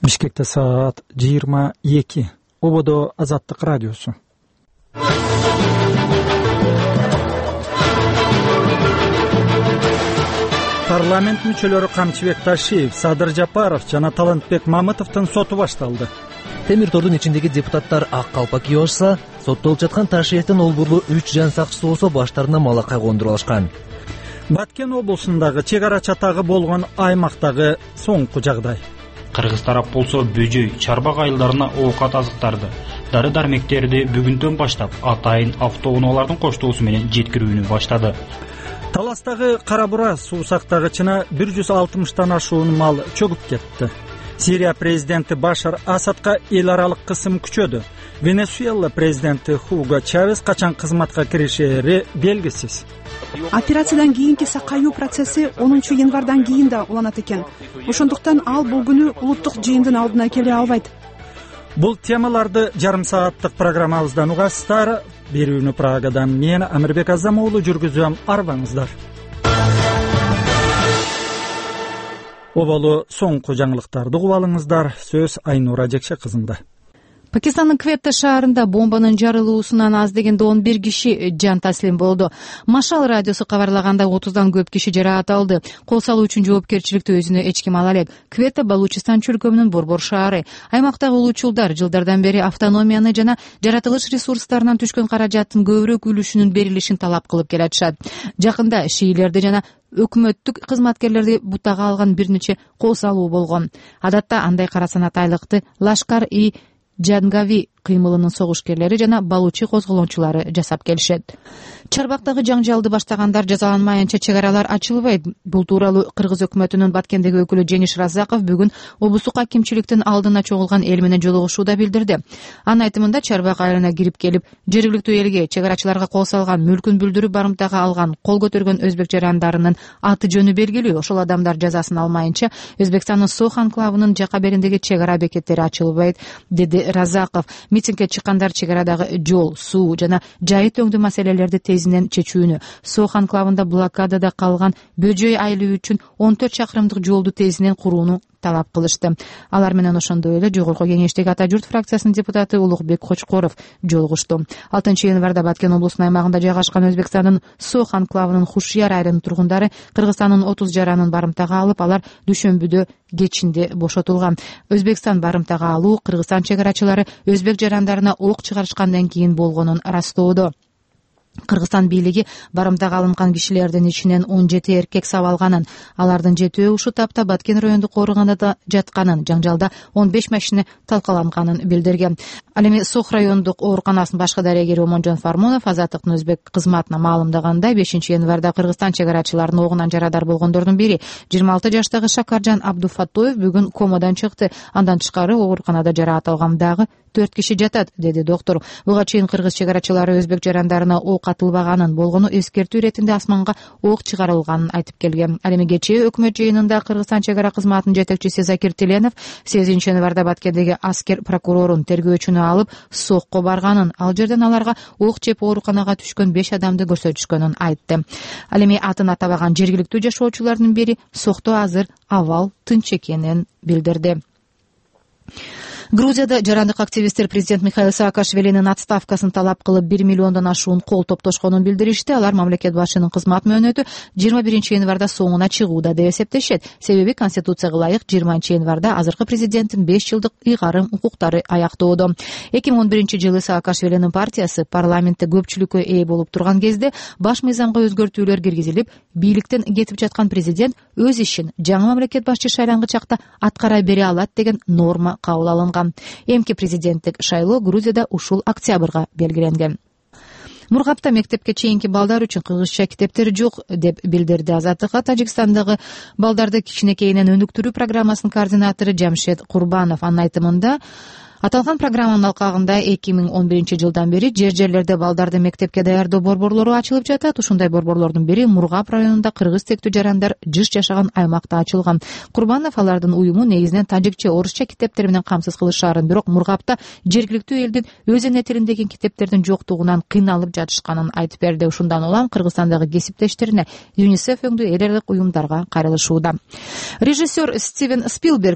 Бишкекте саат 22. Ободо Азаттык радиосу. Парламент мүчөлөрү Камчыбек Ташиев, Садыр Жапаров жана Талантбек Мамытовдун соту башталды. Темир тордун ичиндеги депутаттар ак калпак кийип алышса, соттолуп жаткан Ташиевдин олбурлуу 3 жан сакчысы болсо баштарына малакай кондуруп алышкан. Баткен облусундагы чек ара чатагы болгон аймактагы соңку жагдай. Кыргыз тарап болсо бөжөй, чарбак айылдарына оокат азыктарды, дары-дармектерди бүгүндөн баштап атайын автоунаалардын коштоосу менен жеткирүүнү баштады. Таластагы кара бура суу сактагычына 160тан ашуун мал чөгүп кетти. Сирия президенти Башар Асадка эл аралык кысым күчөдү. Венесуэла президенти Хуго Чавес качан кызматка киришери белгисиз. Операциядан кийинки сакаюу процесси 10-январдан кийин да уланат экен. Ошондуктан ал бул күнү улуттук жыйындын алдына келе албайт. Бул темаларды жарым сааттык программабыздан угасыздар. Берүүнү Прагадан мен Амирбек Азам уулу жүргүзөм. Арбаңыздар. Оболу соңку жаңылыктарды угуп алыңыздар. Сөз Айнура Жекше кызында. Пакистандын Кветта шаарында бомбанын жарылуусунан аз дегенде 11 киши жан таслим болду. Машал радиосу кабарлагандай 30дан көп киши жараат алды. Кол салуу үчүн жоопкерчиликти өзүнө эч ким ала элек. Кветта Балучистан чөлкөмүнүн борбор шаары. Аймактагы улуучулдар жылдардан бери автономияны жана жаратылыш ресурстарынан түшкөн каражаттын көбүрөөк үлүшүнүн берилишин талап кылып келатышат. Жакында шиилерди жана өкмөттүк кызматкерлерди бутага алган бир нече кол салуу болгон. Адатта андай кара санатайлыкты Лашкар-и Джангави кыймылынын согушкерлери жана балучи козголончулары жасап келишет. Чарбактагы жаңжалды баштагандар жазаланмайынча чек аралар ачылбайт. Бул тууралуу Кыргыз өкмөтүнүн Баткендеги өкүлү Жеңиш Разаков бүгүн облустук акимчиликтин алдына чогулган эл менен жолугушууда билдирди. Анын айтымында Чарбак айылына кирип келип, жергиликтүү элге, чек арачыларга кол салган, мүлкүн бүлдүрүп барымтага алган, кол көтөргөн өзбек жарандарынын аты жөнү белгилүү. Ошол адамдар жазасын алмайынча Өзбекстандын Сох анклавынын жака бериндеги чек ара бекеттери ачылбайт, деди Разаков. Митингге чыккандар чек арадагы жол, суу жана жайыт өңдүү маселелерди тезинен чечүүнү, Сох анклавында блокадада калган бөжөй айылы үчүн 14 чакырымдык жолду тезинен курууну талап кылышты. Алар менен ошондой эле жогорку кеңештеги Ата журт фракциясынын депутаты Улукбек Кочкоров жолугушту. 6-январда Баткен облусунун аймагында жайгашкан Өзбекстандын Сох анклавынын Хушияр айылынын тургундары Кыргызстандын 30 жаранын барымтага алып, алар дүйшөмбүдө кечинде бошотулган. Өзбекстан барымтага алуу Кыргызстан чек арачылары өзбек жарандарына ок чыгарышкандан кийин болгонун растоодо. Кыргызстан бийлиги барымтага алынган кишилердин ичинен 17 эркек сабалганын, алардын 7-өө ушул тапта Баткен райондук ооруканада жатканын, жаңжалда 15 машина талкаланганын билдирген. Ал эми Сох райондук ооруканасынын башкы дарегери Омонжон Фармонов Азаттыктын өзбек кызматына маалымдагандай, 5-январда Кыргызстан чек арачыларынын огунан жарадар болгондордун бири 26 жаштагы Шакаржан Абдуфатоев бүгүн комадан чыкты. Андан тышкары ооруканада жараат алган дагы 4 киши жатат, деди доктор. Буга чейин кыргыз чек арачылары өзбек жарандарына ок атылбаганын, болгону эскертүү иретинде асманга ок чыгарылганын айтып келген. Ал эми кечээ өкмөт жыйынында Кыргызстан чек ара кызматынын жетекчиси Закир Тиленов 8-январда Баткендеги аскер прокурорун тергөөчүнү алып Сохко барганын, ал жерден аларга ок жеп ооруканага түшкөн 5 адамды көрсөтүшкөнүн айтты. Ал эми атын атабаган жергиликтүү жашоочулардын бири Сохто азыр абал тынч экенин билдирди. Грузияда жарандык активисттер президент Михаил Саакашвилинин отставкасын талап кылып 1 миллиондон ашуун кол топтошконун билдиришти. Алар мамлекет башчынын кызмат мөөнөтү 21-январда соңуна чыгууда деп эсептешет. Себеби Конституцияга ылайык 20-январда азыркы президенттин 5 жылдык ыйгарым укуктары аяктоодо. 2011-жылы Саакашвилинин партиясы парламентте көпчүлүккө ээ болуп турган кезде баш мыйзамга өзгөртүүлөр киргизилип, бийликтен кетип жаткан президент өз ишин жаңы мамлекет башчы шайлангыч чакта аткара бере алат деген норма кабыл алынган. Эмки президенттик шайлоо Грузияда ушул октябрга белгиленген. Мургапта мектепке чейинки балдар үчүн кыргызча китептер жок деп билдирди Азаттыкка Тажикстандагы балдарды кичинекейинен өнүктүрүү программасынын координатору Жамшед Курбанов. Анын айтымында, аталган программанын алкагында 2011-жылдан бери жерлерде балдарды мектепке даярдоо борборлору ачылып жатат. Ушундай борборлордун бири Мургап районунда кыргыз тектүү жарандар жыш жашаган аймакта ачылган. Курбанов алардын уюму негизинен тажикче, орусча китептер менен камсыз кылышаарын, бирок Мургапта жергиликтүү элдин өз эне тилиндеги китептердин жоктугунан кыйналып жатышканын айтып берди. Ушундан улам Кыргызстандагы кесиптештерине ЮНИСЕФ өңдүү эл аралык уюмдарга кайрылышууда. Режиссер Стивен Спилберг